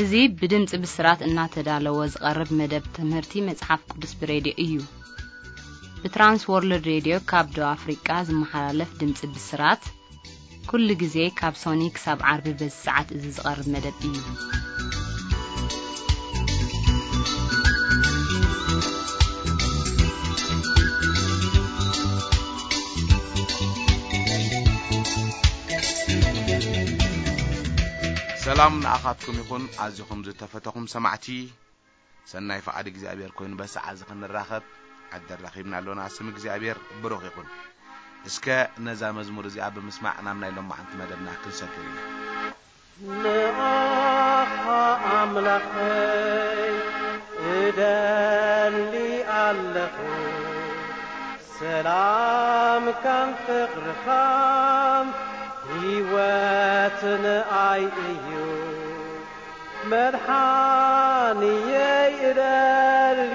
እዚ ብድምጺ ብስራት እናተዳለወ ዝቐርብ መደብ ትምህርቲ መጽሓፍ ቅዱስ ብሬድዮ እዩ። ብትራንስ ወርልድ ሬድዮ ካብ ደቡብ ኣፍሪቃ ዝመሓላለፍ ድምጺ ብስራት፣ ኩሉ ግዜ ካብ ሶኒ ክሳብ ዓርቢ በዚ ሰዓት እዚ ዝቐርብ መደብ እዩ። ሰላም ንኣኻትኩም ይኹን፣ ኣዚኹም ዝተፈተኹም ሰማዕቲ። ሰናይ ፍቓድ እግዚኣብሔር ኮይኑ በሰዓት እዚ ክንራኸብ ዕድል ረኺብና ኣሎና። ስም እግዚኣብሔር ብሩኽ ይኹን። እስከ ነዛ መዝሙር እዚኣ ብምስማዕ ናብ ናይ ሎማዓንቲ መደብና ክንሰግር ኢና። ንኣኻ ኣምላኸይ እደሊ ኣለኹ፣ ሰላምካን ፍቕርኻን ህይወት ንኣይ እዩ። መድሓንየይ እደሊ፣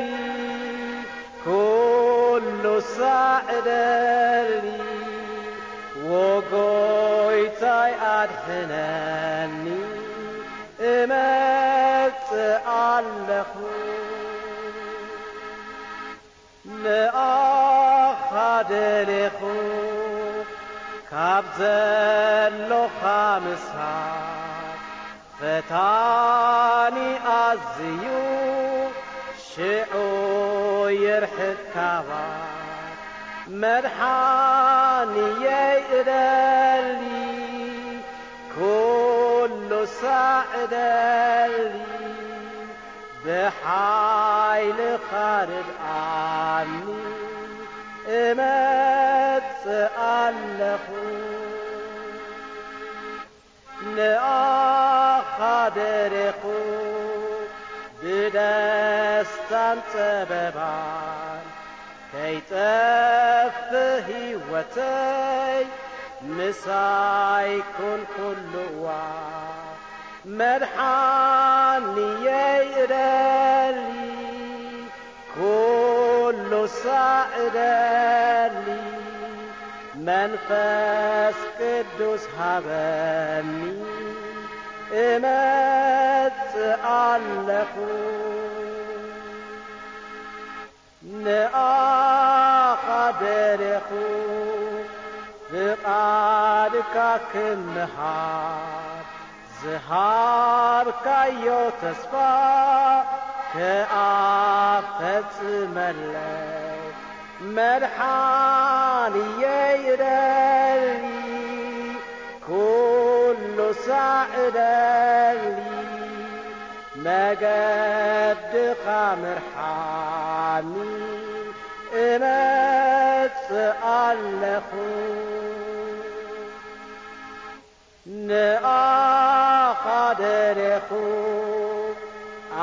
ኩሉ ሳዕ እደሊ፣ ወጎይታይ ኣድሕነኒ፣ እመጽእ ኣለኹ። ንኣኻ ደሌኹ ካብ ዘሎኻ ምሳሕ፣ ፈታኒ ኣዝዩ ሽዑ ይርሕቅ ካባይ። መድሓንየይ እደሊ፣ ኩሉ ሳዕ እደሊ፣ ብሓይልኻ ርድኣኒ፣ እመጽእ ኣለኹ። ንኣኻ ደሬኹ ብደስታን ጸበባን፣ ከይጠፍእ ህይወተይ ምሳይ ኩን ኩሉ እዋን። መድሓንየይ እደሊ፣ ኩሉ ሳዕ እደሊ፣ መንፈስ ቅዱስ ሃበኒ፣ እመጽእ ኣለኹ። ንኣኻ ደሌኹ ፍቓድካ ክምሃር፣ ዝሃብካዮ ተስፋ ከኣ ፈጽመለይ። መድሓንየይ እደሊ፣ ኩሉ ሳዕ እደሊ፣ መገድኻ ምርሓኒ፣ እመጽእ ኣለኹ። ንኣኻ ደሌኹ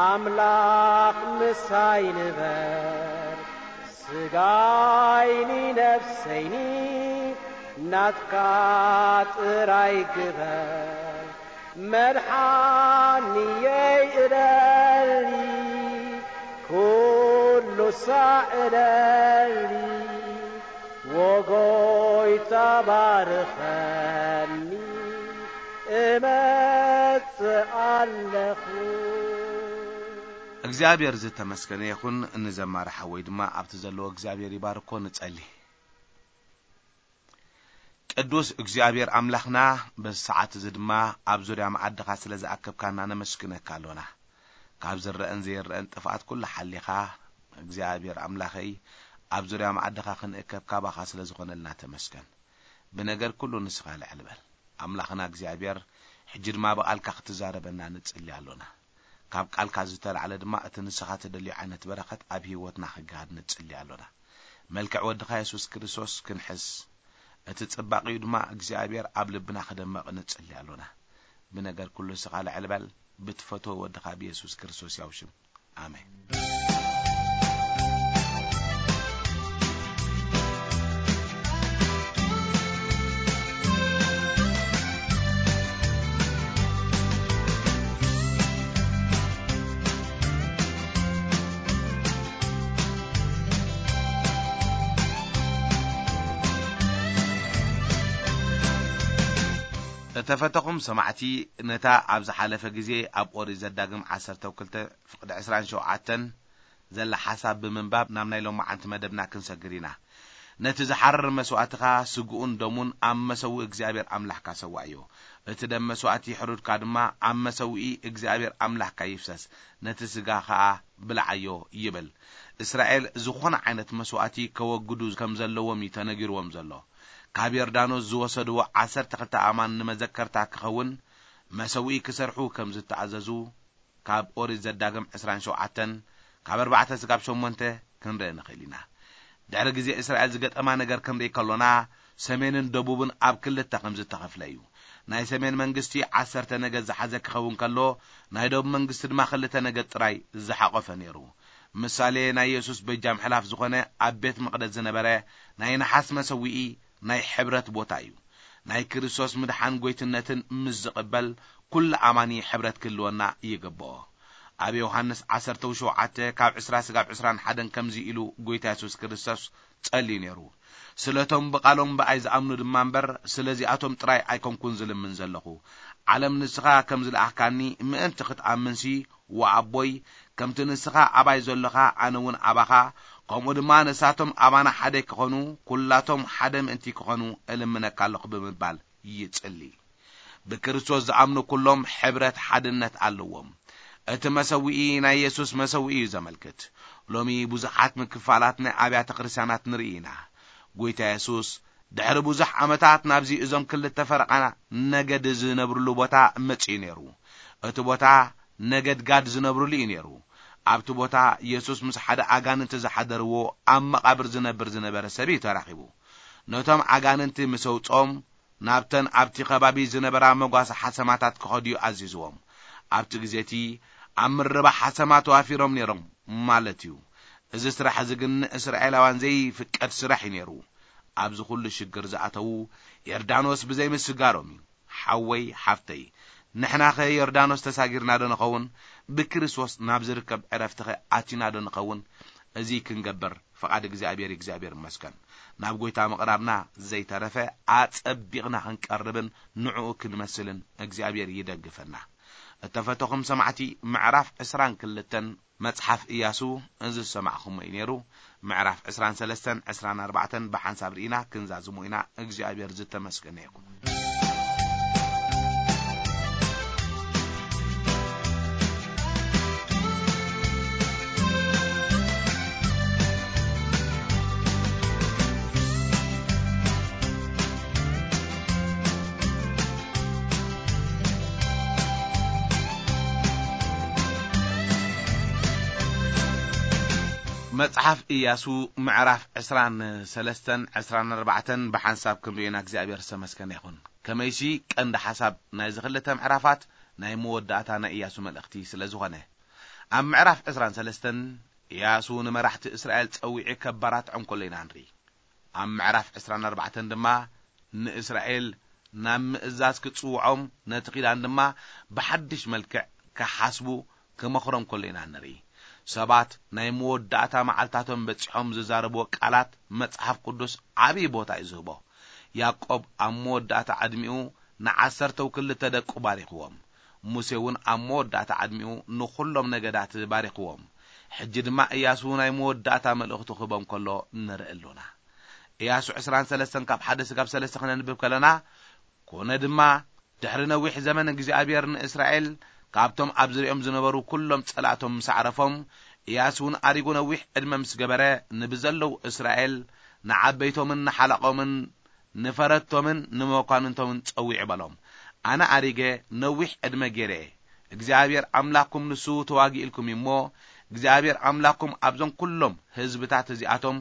ኣምላኽ ምሳይ ንበር፣ ስጋይኒ ነፍሰይኒ ናትካ ጥራይ ግበር። መድሓንየይ እደሊ፣ ኩሉ ሳዕ እደሊ፣ ወጎይታ ባርኸኒ፣ እመጽእ ኣለኹ። እግዚኣብሔር ዝተመስገነ ይኹን። ንዘማሪ ሓወይ ድማ ኣብቲ ዘለዎ እግዚኣብሔር ይባርኮ። ንጸሊ። ቅዱስ እግዚኣብሔር ኣምላኽና፣ በዚ ሰዓት እዚ ድማ ኣብ ዙርያ መዓድኻ ስለ ዝኣከብካና ነመስግነካ ኣሎና። ካብ ዝረአን ዘይረአን ጥፍኣት ኩሉ ሓሊኻ፣ እግዚኣብሔር ኣምላኸይ፣ ኣብ ዙርያ መዓድኻ ክንእከብ ካባኻ ስለ ዝኾነልና ተመስገን። ብነገር ኩሉ ንስኻ ልዕል በል። ኣምላኽና እግዚኣብሔር፣ ሕጂ ድማ ብቓልካ ክትዛረበና ንጽሊ ኣሎና። ካብ ቃልካ ዝተላዕለ ድማ እቲ ንስኻ ትደልዮ ዓይነት በረኸት ኣብ ህይወትና ክገሃድ ንጽሊ ኣሎና። መልክዕ ወድኻ የሱስ ክርስቶስ ክንሕስ፣ እቲ ጽባቕኡ ድማ እግዚኣብሔር ኣብ ልብና ክደመቕ ንጽሊ ኣሎና። ብነገር ኩሉ ንስኻ ልዕል በል፣ ብትፈትዎ ወድኻ ብየሱስ ክርስቶስ ያው ሽም። ኣሜን። እተፈተኹም ሰማዕቲ፣ ነታ ኣብ ዝሓለፈ ግዜ ኣብ ኦሪት ዘዳግም ዓሰርተ ክልተ ፍቕዲ ዕስራን ሸውዓተን ዘላ ሓሳብ ብምንባብ ናብ ናይ ሎማዓንቲ መደብና ክንሰግር ኢና። ነቲ ዝሓርር መስዋእትኻ ስግኡን ደሙን ኣብ መሰውኢ እግዚኣብሔር ኣምላኽካ ሰዋእዮ። እቲ ደም መስዋእቲ ሕሩድካ ድማ ኣብ መሰውኢ እግዚኣብሔር ኣምላኽካ ይፍሰስ፣ ነቲ ስጋ ኸኣ ብልዓዮ ይብል። እስራኤል ዝኾነ ዓይነት መስዋእቲ ከወግዱ ከም ዘለዎም እዩ ተነጊርዎም ዘሎ። ካብ ዮርዳኖስ ዝወሰድዎ ዓሰርተ ክልተ ኣእማን ንመዘከርታ ክኸውን መሰውኢ ክሰርሑ ከም ዝተኣዘዙ ካብ ኦሪት ዘዳግም ዕስራን ሸውዓተን ካብ ኣርባዕተ ስጋብ ሸሞንተ ክንርኢ ንኽእል ኢና። ድሕሪ ግዜ እስራኤል ዝገጠማ ነገር ክንርኢ ከሎና፣ ሰሜንን ደቡብን ኣብ ክልተ ከም ዝተኸፍለ እዩ። ናይ ሰሜን መንግስቲ ዓሰርተ ነገድ ዝሓዘ ክኸውን ከሎ፣ ናይ ደቡብ መንግስቲ ድማ ክልተ ነገድ ጥራይ ዝሓቖፈ ነይሩ። ምሳሌ ናይ የሱስ በጃ ምሕላፍ ዝኾነ ኣብ ቤት መቕደስ ዝነበረ ናይ ነሓስ መሰውኢ ናይ ሕብረት ቦታ እዩ። ናይ ክርስቶስ ምድሓን ጎይትነትን ምስ ዝቕበል፣ ኩሉ ኣማኒ ሕብረት ክህልወና ይግብኦ። ኣብ ዮሃንስ ዓሰርተ ሸውዓተ ካብ ዕስራ ስጋብ ዕስራን ሓደን ከምዚ ኢሉ ጎይታ የሱስ ክርስቶስ ጸልዩ ነይሩ። ስለቶም ብቓሎም ብኣይ ዝኣምኑ ድማ እምበር፣ ስለዚኣቶም ጥራይ ኣይኮንኩን ዝልምን ዘለኹ። ዓለም ንስኻ ከም ዝለኣኽካኒ ምእንቲ ክትኣምንሲ፣ ወኣቦይ፣ ከምቲ ንስኻ ኣባይ ዘሎኻ ኣነ እውን ኣባኻ፣ ከምኡ ድማ ንሳቶም ኣባና ሓደ ክኾኑ፣ ኩላቶም ሓደ ምእንቲ ክኾኑ እልምነካ ኣለኹ ብምባል ይጽሊ። ብክርስቶስ ዝኣምኑ ኩሎም ሕብረት ሓድነት ኣለዎም። እቲ መሰውኢ ናይ የሱስ መሰውኢ እዩ ዘመልክት። ሎሚ ብዙሓት ምክፋላት ናይ ኣብያተ ክርስቲያናት ንርኢ ኢና። ጎይታ የሱስ ድሕሪ ብዙሕ ዓመታት ናብዚ እዞም ክልተ ፈረቓ ነገድ ዝነብርሉ ቦታ መጺኡ ነይሩ። እቲ ቦታ ነገድ ጋድ ዝነብርሉ እዩ ነይሩ። ኣብቲ ቦታ የሱስ ምስ ሓደ ኣጋንንቲ ዝሓደርዎ ኣብ መቓብር ዝነብር ዝነበረ ሰብ እዩ ተራኺቡ። ነቶም ኣጋንንቲ ምስ ኣውጽኦም ናብተን ኣብቲ ከባቢ ዝነበራ መጓሰ ሓሰማታት ክኸዱ እዩ ኣዚዝዎም። ኣብቲ ግዜ እቲ ኣብ ምርባሕ ሓሰማ ተዋፊሮም ነይሮም ማለት እዩ። እዚ ስራሕ እዚ ግን ንእስራኤላውያን ዘይፍቀድ ስራሕ እዩ ነይሩ። ኣብዚ ኩሉ ሽግር ዝኣተዉ ዮርዳኖስ ብዘይምስጋሮም እዩ። ሓወይ ሓፍተይ፣ ንሕናኸ ዮርዳኖስ ተሳጊርና ዶ ንኸውን? ብክርስቶስ ናብ ዝርከብ ዕረፍትኸ ኣቲና ዶ ንኸውን? እዚ ክንገብር ፍቓድ እግዚኣብሔር እዩ። እግዚኣብሔር ይመስገን። ናብ ጎይታ ምቕራብና ዘይተረፈ ኣጸቢቕና ክንቀርብን ንዕኡ ክንመስልን እግዚኣብሔር ይደግፈና። እተፈተኹም ሰማዕቲ፣ ምዕራፍ ዕስራን ክልተን መጽሓፍ ኢያሱ እዚ ዝሰማዕኹሞ እዩ ነይሩ። ምዕራፍ ዕስራን ሰለስተን ዕስራን ኣርባዕተን ብሓንሳብ ርኢና ክንዛዝሞ ኢና። እግዚኣብሔር ዝተመስገነ ይኹን። መጽሓፍ ኢያሱ ምዕራፍ ዕስራን ሰለስተን ዕስራን ኣርባዕተን ብሓንሳብ ክንርእዮና እግዚኣብሔር ዝተመስገነ ይኹን። ከመይሲ ቀንዲ ሓሳብ ናይዚ ክልተ ምዕራፋት ናይ መወዳእታ ናይ ኢያሱ መልእኽቲ ስለ ዝኾነ። ኣብ ምዕራፍ ዕስራን ሰለስተን ኢያሱ ንመራሕቲ እስራኤል ጸዊዑ ከባራትዖም ከሎ ኢና ንርኢ። ኣብ ምዕራፍ ዕስራን ኣርባዕተን ድማ ንእስራኤል ናብ ምእዛዝ ክጽውዖም፣ ነቲ ኪዳን ድማ ብሓድሽ መልክዕ ክሓስቡ ክመኽሮም ከሎ ኢና ንርኢ። ሰባት ናይ መወዳእታ መዓልታቶም በጺሖም ዝዛረብዎ ቃላት መጽሓፍ ቅዱስ ዓብዪ ቦታ እዩ ዝህቦ። ያዕቆብ ኣብ መወዳእታ ዕድሚኡ ንዓሰርተው ክልተ ደቁ ባሪኽዎም። ሙሴ እውን ኣብ መወዳእታ ዕድሚኡ ንኹሎም ነገዳት ባሪኽዎም። ሕጂ ድማ ኢያሱ ናይ መወዳእታ መልእኽቱ ክህቦም ከሎ ንርኢ ኣሎና። ኢያሱ ዕስራን ሰለስተን ካብ ሓደ ስጋብ ሰለስተ ክነንብብ ከለና፣ ኮነ ድማ ድሕሪ ነዊሕ ዘመን እግዚኣብሔር ንእስራኤል ካብቶም ኣብ ዝሪኦም ዝነበሩ ኩሎም ጸላእቶም ምስ ኣዕረፎም፣ ኢያሱ እውን ኣሪጉ ነዊሕ ዕድመ ምስ ገበረ፣ ንብዘለዉ እስራኤል፣ ንዓበይቶምን ንሓለቆምን ንፈረድቶምን ንመኳንንቶምን ጸዊዑ በሎም፣ ኣነ ኣሪገ ነዊሕ ዕድመ ገይረ እየ። እግዚኣብሔር ኣምላኽኩም ንሱ ተዋጊእልኩም እዩ እሞ፣ እግዚኣብሔር ኣምላኽኩም ኣብዞም ኩሎም ህዝብታት እዚኣቶም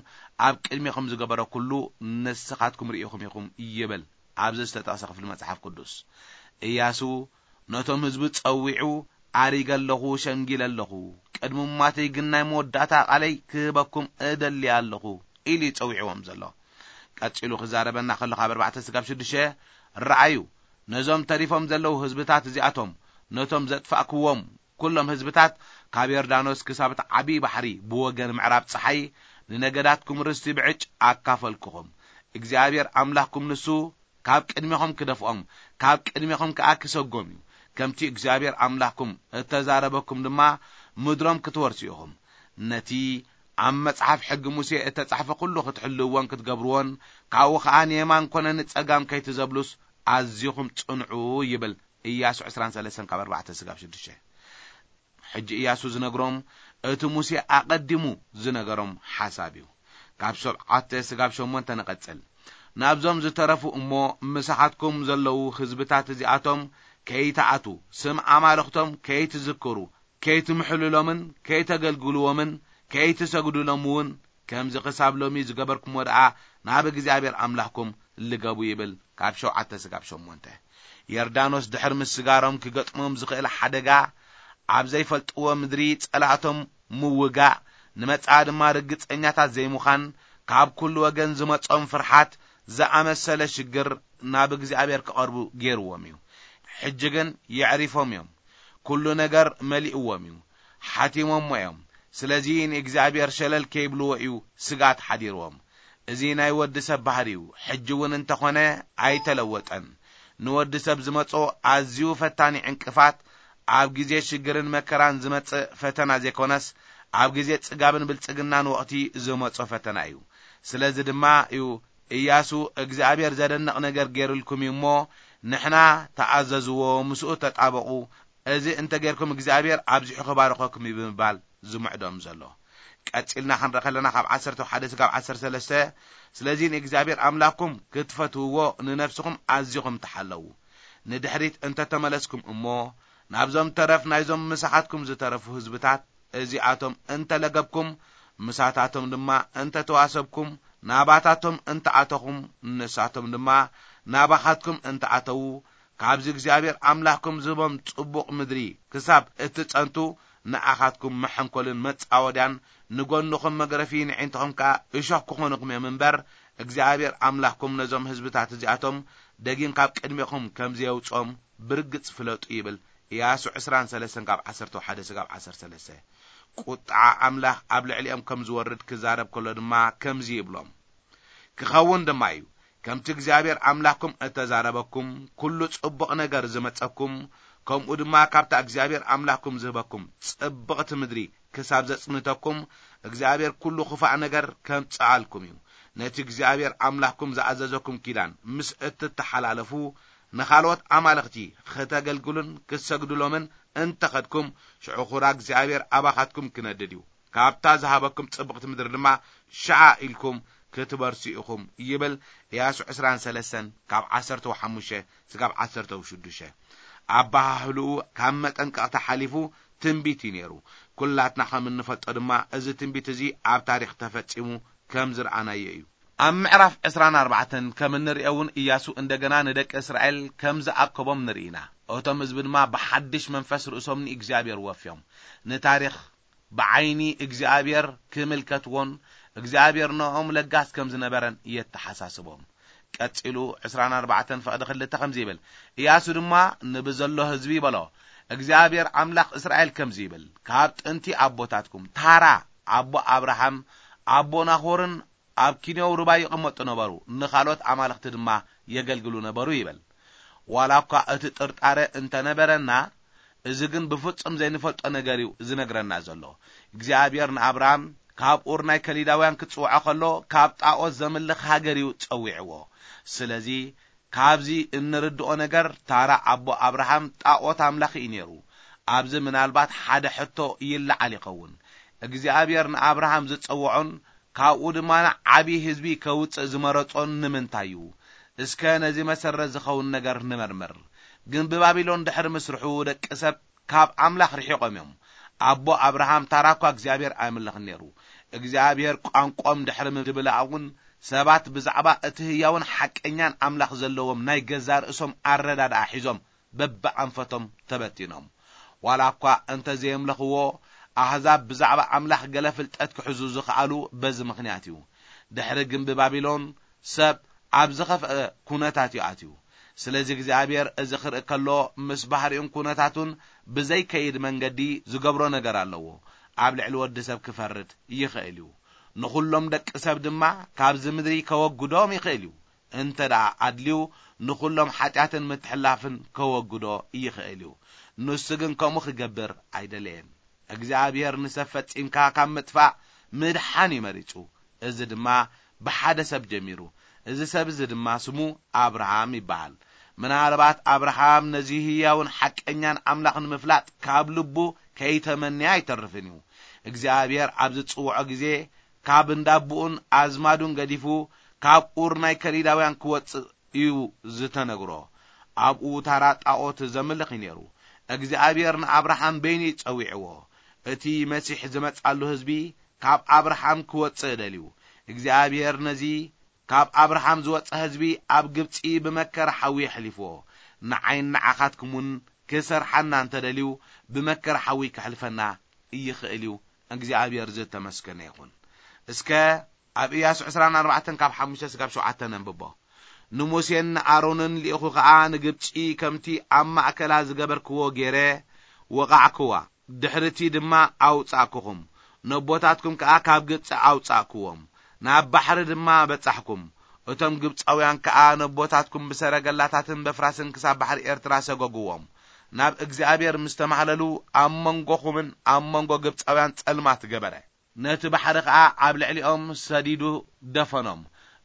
ኣብ ቅድሜኹም ዝገበረ ኩሉ ንስኻትኩም ርኢኹም ኢኹም ይብል ኣብዚ ዝተጠቕሰ ክፍሊ መጽሓፍ ቅዱስ። እያሱ ነቶም ህዝቢ ጸዊዑ፣ ኣሪገ ኣለኹ፣ ሸንጊለ ኣለኹ፣ ቅድሚ ሙማተይ ግን ናይ መወዳእታ ቃለይ ክህበኩም እደሊ ኣለኹ ኢሉ እዩ ጸዊዕዎም ዘሎ። ቀጺሉ ክዛረበና ከሎ ካብ ኣርባዕተ ስጋብ ሽዱሽተ፣ ረኣዩ፣ ነዞም ተሪፎም ዘለዉ ህዝብታት እዚኣቶም፣ ነቶም ዘጥፋእክዎም ኩሎም ህዝብታት ካብ ዮርዳኖስ ክሳብ እቲ ዓብዪ ባሕሪ ብወገን ምዕራብ ጸሓይ ንነገዳትኩም ርስቲ ብዕጭ ኣካፈልኩኹም። እግዚኣብሔር ኣምላኽኩም ንሱ ካብ ቅድሜኹም ክደፍኦም፣ ካብ ቅድሜኹም ከኣ ክሰጎም እዩ። ከምቲ እግዚኣብሔር ኣምላኽኩም እተዛረበኩም ድማ ምድሮም ክትወርሱ ኢኹም። ነቲ ኣብ መጽሓፍ ሕጊ ሙሴ እተጻሕፈ ኩሉ ክትሕልውዎን ክትገብርዎን፣ ካብኡ ኸኣ ንየማን ኮነ ንጸጋም ከይትዘብሉስ ኣዚኹም ጽንዑ ይብል። ኢያሱ ዕስራን ሰለስተን ካብ ኣርባዕተ ስጋብ ሽዱሽተ። ሕጂ ኢያሱ ዝነግሮም እቲ ሙሴ ኣቐዲሙ ዝነገሮም ሓሳብ እዩ። ካብ ሸውዓተ ስጋብ ሸሞንተ ንቐጽል። ናብዞም ዝተረፉ እሞ ምሳኻትኩም ዘለዉ ህዝብታት እዚኣቶም ከይትኣቱ፣ ስም ኣማልኽቶም ከይትዝክሩ፣ ከይትምሕልሎምን ከይተገልግልዎምን ከይትሰግዱሎም እውን ከምዚ ክሳብ ሎሚ ዝገበርኩሞ ደኣ ናብ እግዚኣብሔር ኣምላኽኩም ልገቡ ይብል። ካብ ሸውዓተ ስጋብ ሸሞንተ። ዮርዳኖስ ድሕሪ ምስጋሮም ክገጥሞም ዝኽእል ሓደጋ፣ ኣብ ዘይፈልጥዎ ምድሪ ጸላእቶም ምውጋእ፣ ንመጻኢ ድማ ርግጸኛታት ዘይምዃን፣ ካብ ኩሉ ወገን ዝመጾም ፍርሓት ዝኣመሰለ ሽግር ናብ እግዚኣብሔር ክቐርቡ ገይርዎም እዩ። ሕጂ ግን የዕሪፎም እዮም። ኩሉ ነገር መሊእዎም እዩ። ሓቲሞሞ እዮም። ስለዚ ንእግዚኣብሔር ሸለል ከይብልዎ እዩ ስግኣት ሓዲርዎም። እዚ ናይ ወዲ ሰብ ባህሪ እዩ። ሕጂ እውን እንተኾነ ኣይተለወጠን። ንወዲ ሰብ ዝመጾ ኣዝዩ ፈታኒ ዕንቅፋት፣ ኣብ ግዜ ሽግርን መከራን ዝመጽእ ፈተና ዘይኮነስ፣ ኣብ ግዜ ጽጋብን ብልጽግናን ወቕቲ ዝመጾ ፈተና እዩ። ስለዚ ድማ እዩ ኢያሱ እግዚኣብሔር ዘደንቕ ነገር ገይሩልኩም እዩ እሞ፣ ንሕና ተኣዘዝዎ፣ ምስኡ ተጣበቑ፣ እዚ እንተ ጌርኩም እግዚኣብሔር ኣብዚሑ ክባርኸኩም እዩ ብምባል ዝምዕዶም ዘሎ። ቀጺልና ክንረኸ ኣለና ካብ ዓሰርተ ሓደ ስጋብ ዓሰርተ ሰለስተ። ስለዚ ንእግዚኣብሔር ኣምላኽኩም ክትፈትውዎ ንነፍስኹም ኣዚኹም ተሓለዉ። ንድሕሪት እንተ ተመለስኩም እሞ፣ ናብዞም ተረፍ ናይዞም ምሳኻትኩም ዝተረፉ ህዝብታት እዚኣቶም እንተ ለገብኩም፣ ምሳታቶም ድማ እንተ ተዋሰብኩም፣ ናባታቶም እንተ ኣተኹም፣ ንሳቶም ድማ ናባኻትኩም እንተ ኣተዉ፣ ካብዚ እግዚኣብሔር ኣምላኽኩም ዝህቦም ጽቡቕ ምድሪ ክሳብ እትጸንቱ፣ ንኣኻትኩም መሐንኮልን መጻወድያን፣ ንጎንኹም መግረፊ፣ ንዒንትኹም ከኣ እሾኽ ክኾኑኹም እዮም እምበር፣ እግዚኣብሔር ኣምላኽኩም ነዞም ህዝብታት እዚኣቶም ደጊም ካብ ቅድሜኹም ከም ዘየውጽኦም ብርግጽ ፍለጡ ይብል። ኢያሱ ዕስራን ሰለስተን ካብ ዓሰርተ ሓደ ስጋብ ዓሰርተ ሰለስተ። ቁጥዓ ኣምላኽ ኣብ ልዕሊኦም ከም ዝወርድ ክዛረብ ከሎ ድማ ከምዚ ይብሎም። ክኸውን ድማ እዩ፣ ከምቲ እግዚኣብሔር ኣምላኽኩም እተዛረበኩም፣ ኩሉ ጽቡቕ ነገር ዝመጸኩም፣ ከምኡ ድማ ካብታ እግዚኣብሔር ኣምላኽኩም ዝህበኩም ጽብቕቲ ምድሪ ክሳብ ዘጽንተኩም፣ እግዚኣብሔር ኩሉ ክፋእ ነገር ከምጽኣልኩም እዩ። ነቲ እግዚኣብሔር ኣምላኽኩም ዝኣዘዘኩም ኪዳን ምስ እትተሓላለፉ፣ ንኻልኦት ኣማልኽቲ ኽተገልግሉን ክትሰግዱሎምን እንተ ኸድኩም፣ ሽዑ ኹራ እግዚኣብሔር ኣባኻትኩም ክነድድ እዩ። ካብታ ዝሃበኩም ጽብቕቲ ምድሪ ድማ ሽዓ ኢልኩም ክትበርሱ ኢኹም ይብል። ኢያሱ ዕስራን ሰለስተን ካብ ዓሰርተ ሓሙሽተ ስጋብ ዓሰርተ ሽዱሽተ። ኣበሃህልኡ ካብ መጠንቀቕታ ሓሊፉ ትንቢት እዩ ነይሩ። ኩላትና ከም እንፈልጦ ድማ እዚ ትንቢት እዚ ኣብ ታሪኽ ተፈጺሙ ከም ዝረኣናዮ እዩ። ኣብ ምዕራፍ ዕስራን ኣርባዕተን ከም እንርእዮ እውን ኢያሱ እንደገና ንደቂ እስራኤል ከም ዝኣከቦም ንርኢ ኢና። እቶም ህዝቢ ድማ ብሓድሽ መንፈስ ርእሶም ንእግዚኣብሔር ወፍዮም። ንታሪኽ ብዓይኒ እግዚኣብሔር ክምልከትዎን እግዚኣብሔር ንኦም ለጋስ ከም ዝነበረን የተሓሳስቦም። ቀጺሉ ዕስራን ኣርባዕተን ፍቕዲ ክልተ ከምዚ ይብል፣ ኢያሱ ድማ ንብዘሎ ህዝቢ በሎ፣ እግዚኣብሔር ኣምላኽ እስራኤል ከምዚ ይብል፣ ካብ ጥንቲ ኣቦታትኩም ታራ ኣቦ ኣብርሃም፣ ኣቦ ናኾርን ኣብ ኪንዮው ሩባ ይቕመጡ ነበሩ፣ ንኻልኦት ኣማልኽቲ ድማ የገልግሉ ነበሩ ይብል። ዋላ እኳ እቲ ጥርጣረ እንተነበረና፣ እዚ ግን ብፍጹም ዘይንፈልጦ ነገር እዩ ዝነግረና ዘሎ። እግዚኣብሔር ንኣብርሃም ካብ ኡር ናይ ከሊዳውያን ክጽውዖ ከሎ፣ ካብ ጣኦት ዘምልኽ ሃገር እዩ ጸዊዕዎ። ስለዚ ካብዚ እንርድኦ ነገር፣ ታራ ኣቦ ኣብርሃም ጣኦት ኣምላኺ እዩ ነይሩ። ኣብዚ ምናልባት ሓደ ሕቶ ይለዓል ይኸውን። እግዚኣብሔር ንኣብርሃም ዝጸውዖን ካብኡ ድማ ዓቢ ህዝቢ ከውጽእ ዝመረጾን ንምንታይ እዩ? እስከ ነዚ መሰረት ዝኸውን ነገር ንመርምር። ግንቢ ባቢሎን ድሕሪ ምስርሑ፣ ደቂ ሰብ ካብ ኣምላኽ ርሒቖም እዮም። ኣቦ ኣብርሃም ታራ እኳ እግዚኣብሔር ኣይምልኽን ነይሩ። እግዚኣብሔር ቋንቋኦም ድሕሪ ምድብላኣ እውን፣ ሰባት ብዛዕባ እቲ ህያውን ሓቀኛን ኣምላኽ ዘለዎም ናይ ገዛእ ርእሶም ኣረዳድኣ ሒዞም በብኣንፈቶም ተበቲኖም። ዋላ እኳ እንተ ዘየምለኽዎ፣ ኣህዛብ ብዛዕባ ኣምላኽ ገለ ፍልጠት ክሕዙ ዝኸኣሉ በዚ ምኽንያት እዩ። ድሕሪ ግንቢ ባቢሎን፣ ሰብ ኣብ ዝኸፍአ ኩነታት እዩ ኣትዩ። ስለዚ እግዚኣብሔር እዚ ክርኢ ከሎ፣ ምስ ባህሪኡን ኩነታቱን ብዘይከይድ መንገዲ ዝገብሮ ነገር ኣለዎ። ኣብ ልዕሊ ወዲ ሰብ ክፈርድ ይኽእል እዩ። ንኹሎም ደቂ ሰብ ድማ ካብዚ ምድሪ ከወግዶም ይኽእል እዩ። እንተ ደኣ ኣድልዩ፣ ንኹሎም ሓጢኣትን ምትሕላፍን ከወግዶ ይኽእል እዩ። ንሱ ግን ከምኡ ክገብር ኣይደለየን። እግዚኣብሔር ንሰብ ፈጺምካ ካብ ምጥፋእ ምድሓን እዩ መሪጹ። እዚ ድማ ብሓደ ሰብ ጀሚሩ። እዚ ሰብ እዚ ድማ ስሙ ኣብርሃም ይበሃል። ምናልባት ኣብርሃም ነዚ ህያውን ሓቀኛን ኣምላኽ ንምፍላጥ ካብ ልቡ ከይተመንየ ኣይተርፍን እዩ። እግዚኣብሔር ኣብ ዝጽውዖ ግዜ ካብ እንዳቦኡን ኣዝማዱን ገዲፉ ካብ ኡር ናይ ከሊዳውያን ክወጽእ እዩ ዝተነግሮ። ኣብኡ ታራ ጣዖት ዘምልኽ እዩ ነይሩ። እግዚኣብሔር ንኣብርሃም በይኑ እዩ ጸዊዕዎ። እቲ መሲሕ ዝመጻሉ ህዝቢ ካብ ኣብርሃም ክወጽእ ደልዩ። እግዚኣብሔር ነዚ ካብ ኣብርሃም ዝወጸ ህዝቢ ኣብ ግብጺ ብመከራ ሓዊ የሕሊፍዎ። ንዓይን ንዓኻትኩምን ክሰርሓና እንተደልዩ ብመከራ ሓዊ ከሕልፈና ይኽእል እዩ። እግዚኣብሔር ዝተመስገነ ይኹን። እስከ ኣብ ኢያሱ ዕስራን ኣርባዕተን ካብ ሓሙሽተ ስጋብ ሸውዓተ ነንብቦ። ንሙሴን ንኣሮንን ልኢኹ ኸኣ ንግብጺ ከምቲ ኣብ ማእከላ ዝገበርክዎ ገይረ ወቓዕክዋ። ድሕርቲ ድማ ኣውጻእኩኹም። ነቦታትኩም ከኣ ካብ ግብጺ ኣውጻእክዎም። ናብ ባሕሪ ድማ በጻሕኩም። እቶም ግብጻውያን ከኣ ነቦታትኩም ብሰረገላታትን በፍራስን ክሳብ ባሕሪ ኤርትራ ሰገጉዎም። ናብ እግዚኣብሔር ምስ ተማህለሉ ኣብ መንጎኹምን ኣብ መንጎ ግብጻውያን ጸልማት ገበረ። ነቲ ባሕሪ ኸኣ ኣብ ልዕሊኦም ሰዲዱ ደፈኖም።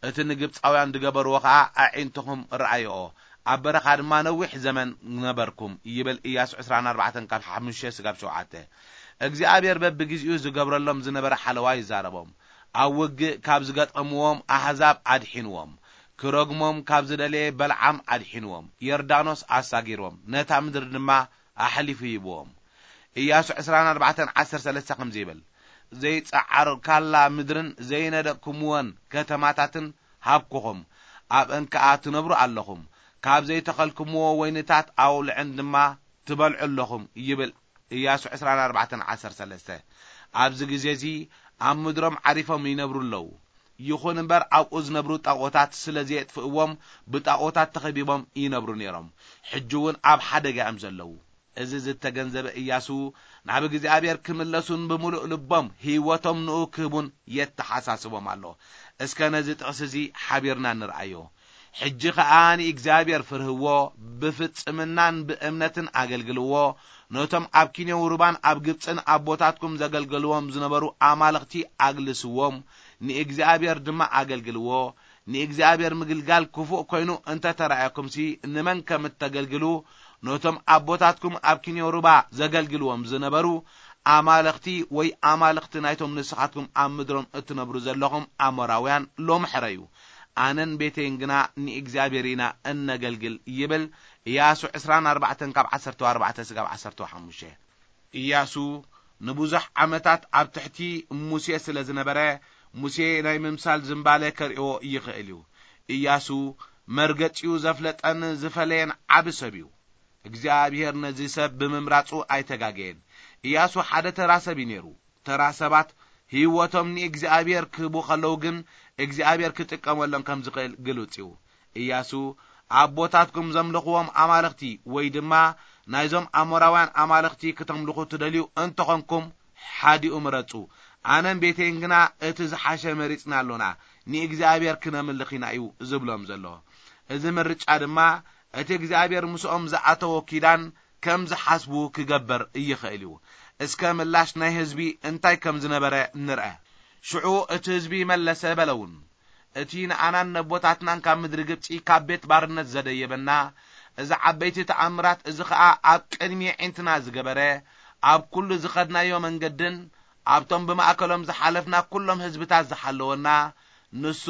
እቲ ንግብጻውያን ዝገበርዎ ኸኣ ኣዒንትኹም ረኣይኦ። ኣብ በረኻ ድማ ነዊሕ ዘመን ነበርኩም ይብል ኢያሱ ዕስራን ኣርባዕተን ካብ ሓሙሽተ ስጋብ ሸውዓተ። እግዚኣብሔር በብግዜኡ ዝገብረሎም ዝነበረ ሓለዋ ይዛረቦም። ኣብ ውግእ ካብ ዝገጠምዎም ኣህዛብ ኣድሒንዎም። ክረግሞም ካብ ዝደለየ በልዓም ኣድሒንዎም። ዮርዳኖስ ኣሳጊርዎም። ነታ ምድሪ ድማ ኣሕሊፉ ሂብዎም። ኢያሱ ዕስራን ኣርባዕተን ዓሰርተ ሰለስተ ከምዚ ይብል፣ ዘይጸዓርካላ ምድርን ዘይነደቅኩምወን ከተማታትን ሃብኩኹም። ኣብአን ከኣ ትነብሩ ኣለኹም። ካብ ዘይተኸልኩምዎ ወይንታት ኣውልዕን ድማ ትበልዑ ኣለኹም ይብል ኢያሱ ዕስራን ኣርባዕተን ዓሰርተ ሰለስተ። ኣብዚ ግዜ እዚ ኣብ ምድሮም ዓሪፎም ይነብሩ ኣለዉ። ይኹን እምበር ኣብኡ ዝነብሩ ጣዖታት ስለ ዘየጥፍእዎም ብጣዖታት ተኸቢቦም ይነብሩ ነይሮም። ሕጂ እውን ኣብ ሓደጋ እዮም ዘለዉ። እዚ ዝተገንዘበ ኢያሱ ናብ እግዚኣብሔር ክምለሱን ብምሉእ ልቦም ህይወቶም ንኡ ክህቡን የተሓሳስቦም ኣሎ። እስከ ነዚ ጥቕሲ እዚ ሓቢርና ንርኣዮ። ሕጂ ኸኣ ንእግዚኣብሔር ፍርህዎ፣ ብፍጽምናን ብእምነትን ኣገልግልዎ። ነቶም ኣብ ኪንዮን ሩባን ኣብ ግብጽን ኣቦታትኩም ዘገልገልዎም ዝነበሩ ኣማልኽቲ ኣግልስዎም፣ ንእግዚኣብሔር ድማ ኣገልግልዎ። ንእግዚኣብሔር ምግልጋል ክፉእ ኮይኑ እንተ ተራእየኩምሲ፣ ንመን ከም እተገልግሉ፣ ነቶም ኣቦታትኩም ኣብ ኪንዮን ሩባ ዘገልግልዎም ዝነበሩ ኣማልኽቲ ወይ ኣማልኽቲ ናይቶም ንስኻትኩም ኣብ ምድሮም እትነብሩ ዘለኹም ኣሞራውያን ሎሚ ሕረዩ። ኣነን ቤተይን ግና ንእግዚኣብሔር ኢና እነገልግል ይብል። ኢያሱ ዕስራን ኣርባዕተን ካብ ዓሰርተ ኣርባዕተ ስጋብ ዓሰርተ ሓሙሽተ። ኢያሱ ንብዙሕ ዓመታት ኣብ ትሕቲ ሙሴ ስለ ዝነበረ፣ ሙሴ ናይ ምምሳል ዝንባለ ከርእዮ ይኽእል እዩ። ኢያሱ መርገጺኡ ዘፍለጠን ዝፈለየን ዓቢ ሰብ እዩ። እግዚኣብሔር ነዚ ሰብ ብምምራጹ ኣይተጋገየን። ኢያሱ ሓደ ተራ ሰብ እዩ ነይሩ። ተራ ሰባት ህይወቶም ንእግዚኣብሔር ክህቡ ከለዉ ግን እግዚኣብሔር ክጥቀመሎም ከም ዝኽእል ግሉጽ እዩ። ኢያሱ ኣቦታትኩም ዘምልኽዎም ኣማልኽቲ ወይ ድማ ናይዞም ኣሞራውያን ኣማልኽቲ ክተምልኹ ትደልዩ እንተኾንኩም ሓዲኡ ምረጹ። ኣነን ቤተይን ግና እቲ ዝሓሸ መሪጽና ኣሎና፣ ንእግዚኣብሔር ክነምልኽ ኢና እዩ ዝብሎም ዘሎ። እዚ ምርጫ ድማ እቲ እግዚኣብሔር ምስኦም ዝኣተዎ ኪዳን ከም ዝሓስቡ ክገብር ይኽእል እዩ። እስከ ምላሽ ናይ ህዝቢ እንታይ ከም ዝነበረ ንርአ። ሽዑ እቲ ህዝቢ መለሰ በለውን፣ እቲ ንኣናን ነቦታትናን ካብ ምድሪ ግብጺ ካብ ቤት ባርነት ዘደየበና፣ እዚ ዓበይቲ ተኣምራት እዚ ኸኣ ኣብ ቅድሚ ኣዒንትና ዝገበረ፣ ኣብ ኩሉ ዝኸድናዮ መንገድን ኣብቶም ብማእከሎም ዝሓለፍና ኩሎም ህዝብታት ዝሓለወና፣ ንሱ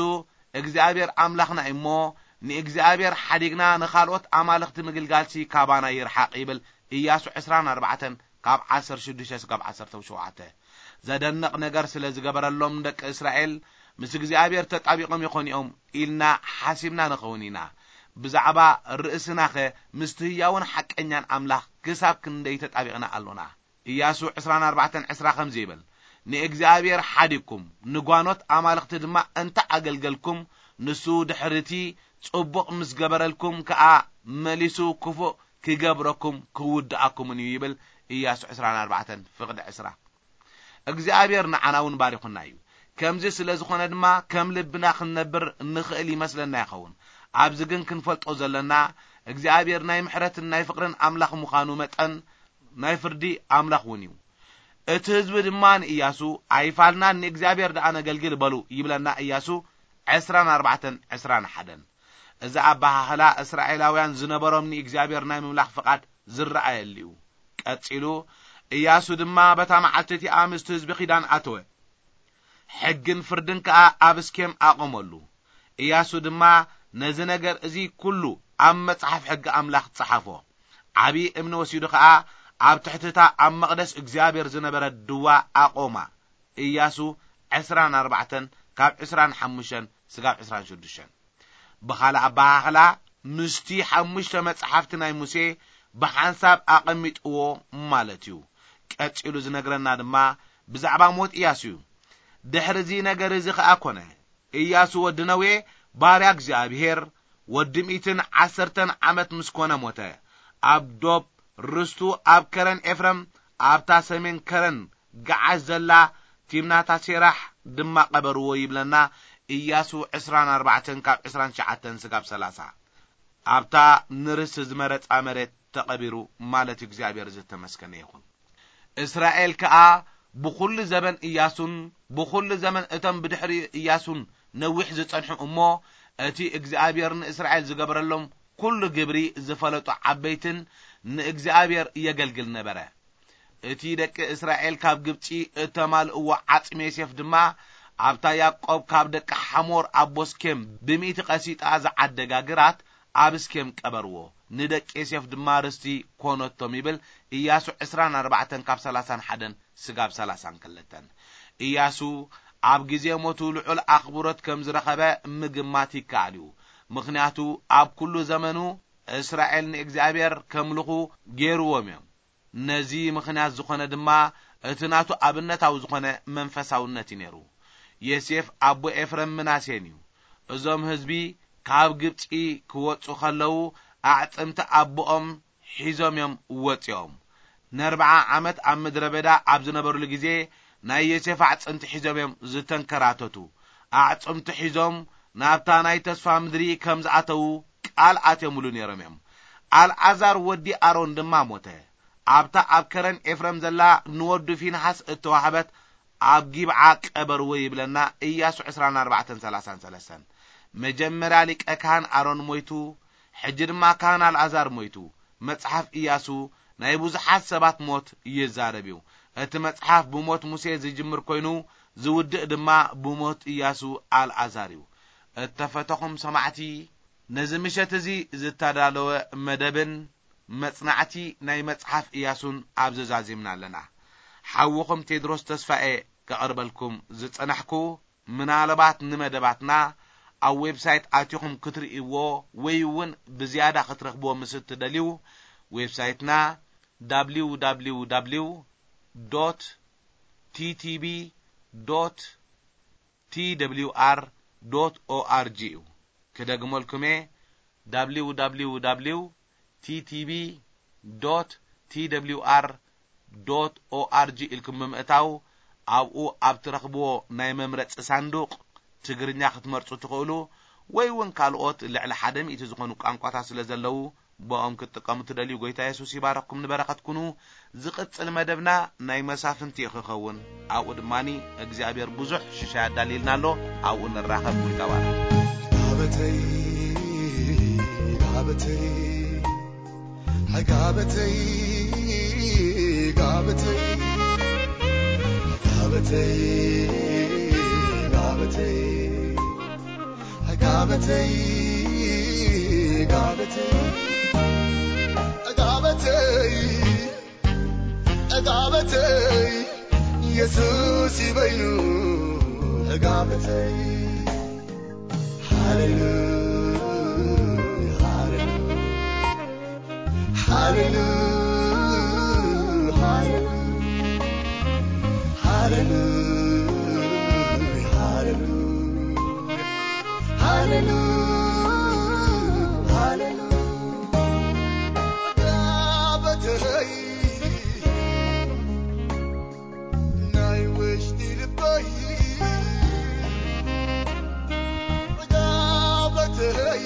እግዚኣብሔር ኣምላኽና እዩ እሞ፣ ንእግዚኣብሔር ሓዲግና ንኻልኦት ኣማልኽቲ ምግልጋልሲ ካባና ይርሓቕ ይብል ኢያሱ ዕስራን ኣርባዕተን ካብ ዓሰርተ ሽዱሽተ እስካብ ዓሰርተ ሸውዓተ። ዘደንቕ ነገር ስለ ዝገበረሎም ደቂ እስራኤል ምስ እግዚኣብሔር ተጣቢቖም ይኾኑ እዮም ኢልና ሓሲብና ንኸውን ኢና። ብዛዕባ ርእስናኸ ምስቲ ህያውን ሓቀኛን ኣምላኽ ክሳብ ክንደይ ተጣቢቕና ኣሎና? ኢያሱ ዕስራን ኣርባዕተን ዕስራ ከምዚ ይብል፣ ንእግዚኣብሔር ሓዲግኩም ንጓኖት ኣማልኽቲ ድማ እንተ ኣገልገልኩም፣ ንሱ ድሕርቲ ጽቡቕ ምስ ገበረልኩም ከኣ መሊሱ ክፉእ ክገብረኩም ክውድኣኩምን እዩ ይብል። ኢያሱ ዕስራን ኣርባዕተን ፍቕዲ ዕስራ። እግዚኣብሔር ንዓና እውን ባሪኹና እዩ። ከምዚ ስለ ዝኾነ ድማ ከም ልብና ክንነብር ንኽእል ይመስለና ይኸውን። ኣብዚ ግን ክንፈልጦ ዘለና እግዚኣብሔር ናይ ምሕረትን ናይ ፍቕርን ኣምላኽ ምዃኑ መጠን ናይ ፍርዲ ኣምላኽ እውን እዩ። እቲ ህዝቢ ድማ ንእያሱ ኣይፋልናን ንእግዚኣብሔር ደኣ ነገልግል በሉ ይብለና እያሱ ዕስራን ኣርባዕተን ዕስራን ሓደን። እዚ ኣበሃህላ እስራኤላውያን ዝነበሮም ንእግዚኣብሔር ናይ ምምላኽ ፍቓድ ዝረኣየሉ እዩ። ቀጺሉ እያሱ ድማ በታ መዓልቲ እቲኣ ምስቲ ህዝቢ ኪዳን ኣተወ። ሕግን ፍርድን ከኣ ኣብ እስኬም ኣቐመሉ። እያሱ ድማ ነዚ ነገር እዚ ኩሉ ኣብ መጽሓፍ ሕጊ ኣምላኽ ጸሓፎ። ዓቢ እምኒ ወሲዱ ከኣ ኣብ ትሕቲ እታ ኣብ መቕደስ እግዚኣብሔር ዝነበረት ድዋ ኣቖማ። እያሱ ዕስራን ኣርባዕተን ካብ ዕስራን ሓሙሽተን ስጋብ ዕስራን ሽዱሽተን። ብኻልእ ኣበሃህላ ምስቲ ሓሙሽተ መጽሓፍቲ ናይ ሙሴ ብሓንሳብ ኣቐሚጥዎ ማለት እዩ። ቀጺሉ ዝነግረና ድማ ብዛዕባ ሞት እያሱ እዩ። ድሕሪ እዚ ነገር እዚ ኸኣ ኮነ፣ እያሱ ወዲ ነዌ ባርያ እግዚኣብሔር ወዲ ሚእትን ዓሰርተን ዓመት ምስ ኮነ ሞተ። ኣብ ዶብ ርስቱ ኣብ ከረን ኤፍረም ኣብታ ሰሜን ከረን ገዓሽ ዘላ ቲምናታ ሴራሕ ድማ ቀበርዎ ይብለና። እያሱ ዕስራን ኣርባዕተን ካብ ዕስራን ትሽዓተን ስጋብ ሰላሳ ኣብታ ንርስቲ ዝመረጻ መሬት ተቐቢሩ ማለት እዩ። እግዚኣብሔር ዝተመስገነ ይኹን። እስራኤል ከኣ ብኹሉ ዘበን እያሱን ብኹሉ ዘመን እቶም ብድሕሪኡ እያሱን ነዊሕ ዝጸንሑ እሞ እቲ እግዚኣብሔር ንእስራኤል ዝገበረሎም ኩሉ ግብሪ ዝፈለጡ ዓበይትን ንእግዚኣብሔር የገልግል ነበረ። እቲ ደቂ እስራኤል ካብ ግብጺ እተማልእዎ ዓጽሚ ዮሴፍ ድማ ኣብታ ያዕቆብ ካብ ደቂ ሓሞር ኣቦ ስኬም ብሚእቲ ቀሲጣ ዝዓደጋ ግራት ኣብ ስኬም ቀበርዎ። ንደቂ ዮሴፍ ድማ ርስቲ ኮነቶም ይብል። ኢያሱ ዕስራን ኣርባዕተን ካብ ሰላሳን ሓደን ስጋብ ሰላሳን ክልተን። ኢያሱ ኣብ ግዜ ሞቱ ልዑል ኣኽብሮት ከም ዝረኸበ ምግማት ይከኣል እዩ። ምኽንያቱ ኣብ ኩሉ ዘመኑ እስራኤል ንእግዚኣብሔር ከምልኹ ገይርዎም እዮም። ነዚ ምኽንያት ዝኾነ ድማ እቲ ናቱ ኣብነታዊ ዝኾነ መንፈሳውነት እዩ ነይሩ። ዮሴፍ ኣቦ ኤፍረም ምናሴን እዩ። እዞም ህዝቢ ካብ ግብጺ ክወጹ ከለዉ ኣዕጽምቲ ኣቦኦም ሒዞም እዮም ወጺኦም። ንኣርብዓ ዓመት ኣብ ምድረ በዳ ኣብ ዝነበሩሉ ግዜ ናይ ዮሴፍ ኣዕጽምቲ ሒዞም እዮም ዝተንከራተቱ። ኣዕጽምቲ ሒዞም ናብታ ናይ ተስፋ ምድሪ ከም ዝኣተዉ ቃል ኣትዮምሉ ነይሮም እዮም። ኣልዓዛር ወዲ ኣሮን ድማ ሞተ። ኣብታ ኣብ ከረን ኤፍረም ዘላ ንወዱ ፊንሃስ እተዋህበት ኣብ ጊብዓ ቀበርዎ ይብለና ኢያሱ ዕስራን ኣርባዕተን ሰላሳን ሰለስተን። መጀመርያ ሊቀ ካህን ኣሮን ሞይቱ፣ ሕጂ ድማ ካህን ኣልዓዛር ሞይቱ። መጽሓፍ ኢያሱ ናይ ብዙሓት ሰባት ሞት ይዛረብ እዩ። እቲ መጽሓፍ ብሞት ሙሴ ዝጅምር ኮይኑ ዝውድእ ድማ ብሞት ኢያሱ ኣልዓዛር እዩ። እተፈተኹም ሰማዕቲ፣ ነዚ ምሸት እዚ ዝተዳለወ መደብን መጽናዕቲ ናይ መጽሓፍ ኢያሱን ኣብዚ ዛዚምና ኣለና። ሓውኹም ቴድሮስ ተስፋኤ ከቕርበልኩም ዝጸናሕኩ፣ ምናልባት ንመደባትና ኣብ ዌብሳይት ኣቲኹም ክትርእይዎ ወይ እውን ብዝያዳ ክትረኽብዎ ምስ እትደልዩ፣ ዌብሳይትና www ቲቲቢ ቲደብሊውኣር ኦርጂ እዩ። ክደግመልኩም እየ፣ www ቲቲቢ ቲደብሊውኣር ኦርጂ ኢልኩም ብምእታው ኣብኡ ኣብ ትረኽብዎ ናይ መምረጺ ሳንዱቕ ትግርኛ ክትመርጹ ትኽእሉ፣ ወይ እውን ካልኦት ልዕሊ ሓደ ሚእቲ ዝኾኑ ቋንቋታት ስለ ዘለዉ ብኦም ክትጥቀሙ ትደልዩ። ጎይታ የሱስ ይባረኽኩም፣ ንበረኸት ኩኑ። ዝቕጽል መደብና ናይ መሳፍንቲ እዩ ክኸውን። ኣብኡ ድማኒ እግዚኣብሔር ብዙሕ ሽሻይ ኣዳልይልና ኣሎ። ኣብኡ ንራኸብ። ጎይታ ባርኽ። ጋበተይ፣ ጋበተይ፣ ጋበተይ፣ ጋበተይ፣ ጋበተይ፣ ጋበተይ፣ ጋበተይ፣ ጋበተይ፣ ጋበተይ፣ ጋበተይ፣ ኢየሱስ ይበይኑ ጋበተይ። ሃሌሉያ፣ ሃሌሉያ፣ ሃሌሉያ፣ ሃሌሉያ፣ ሃሌሉያ፣ ሃሌሉያ፣ ሃሌሉያ፣ ሃሌሉያ። ጋበተይ፣ ናይ ውሽጢ ልበይ፣ ጋበተይ፣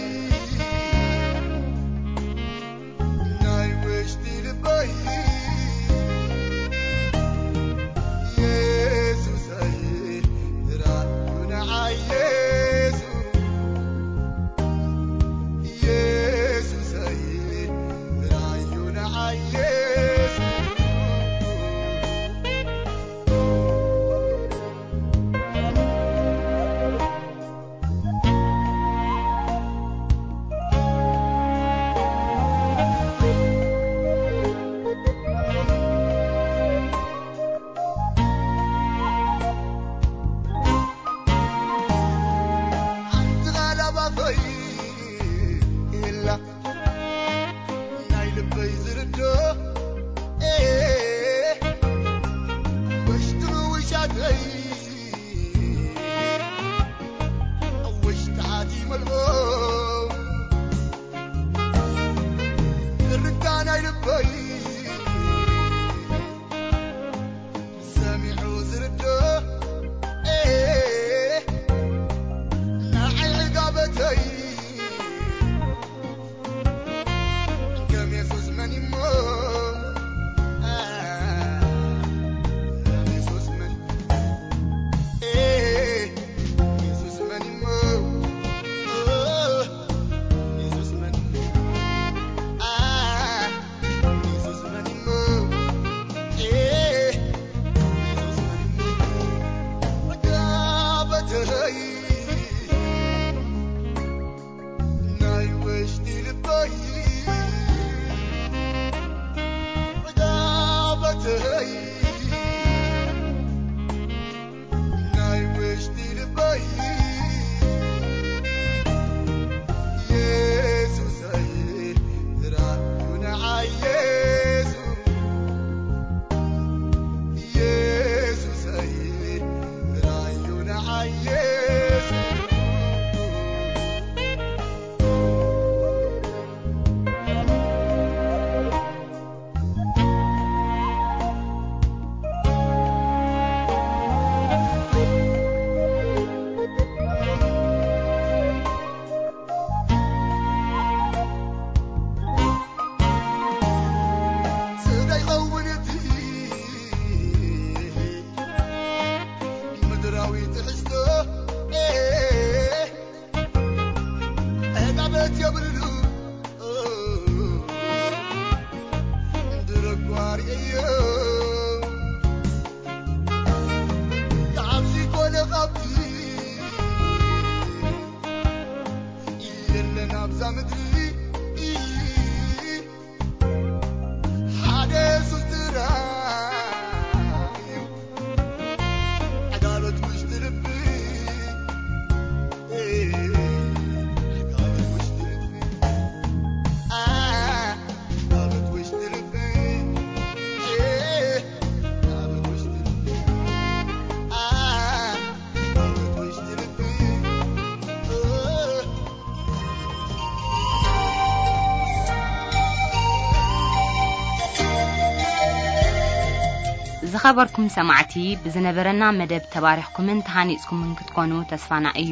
ዝኸበርኩም ሰማዕቲ፣ ብዝነበረና መደብ ተባሪኽኩምን ተሃኒጽኩምን ክትኮኑ ተስፋና እዩ።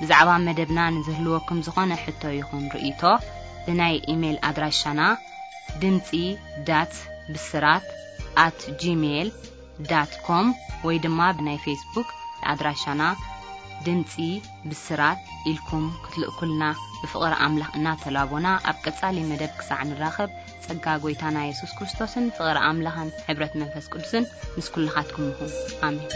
ብዛዕባ መደብና ንዝህልወኩም ዝኾነ ሕቶ ይኹን ርእይቶ፣ ብናይ ኢሜይል ኣድራሻና ድምጺ ዳት ብስራት ኣት ጂሜይል ዳት ኮም ወይ ድማ ብናይ ፌስቡክ ኣድራሻና ድምጺ ብስራት ኢልኩም ክትልእኩልና ብፍቕሪ ኣምላኽ እናተላቦና፣ ኣብ ቀጻሊ መደብ ክሳዕ ንራኸብ፣ ጸጋ ጐይታና የሱስ ክርስቶስን ፍቕሪ ኣምላኽን ሕብረት መንፈስ ቅዱስን ምስ ኩልኻትኩም ይኹን። ኣሜን።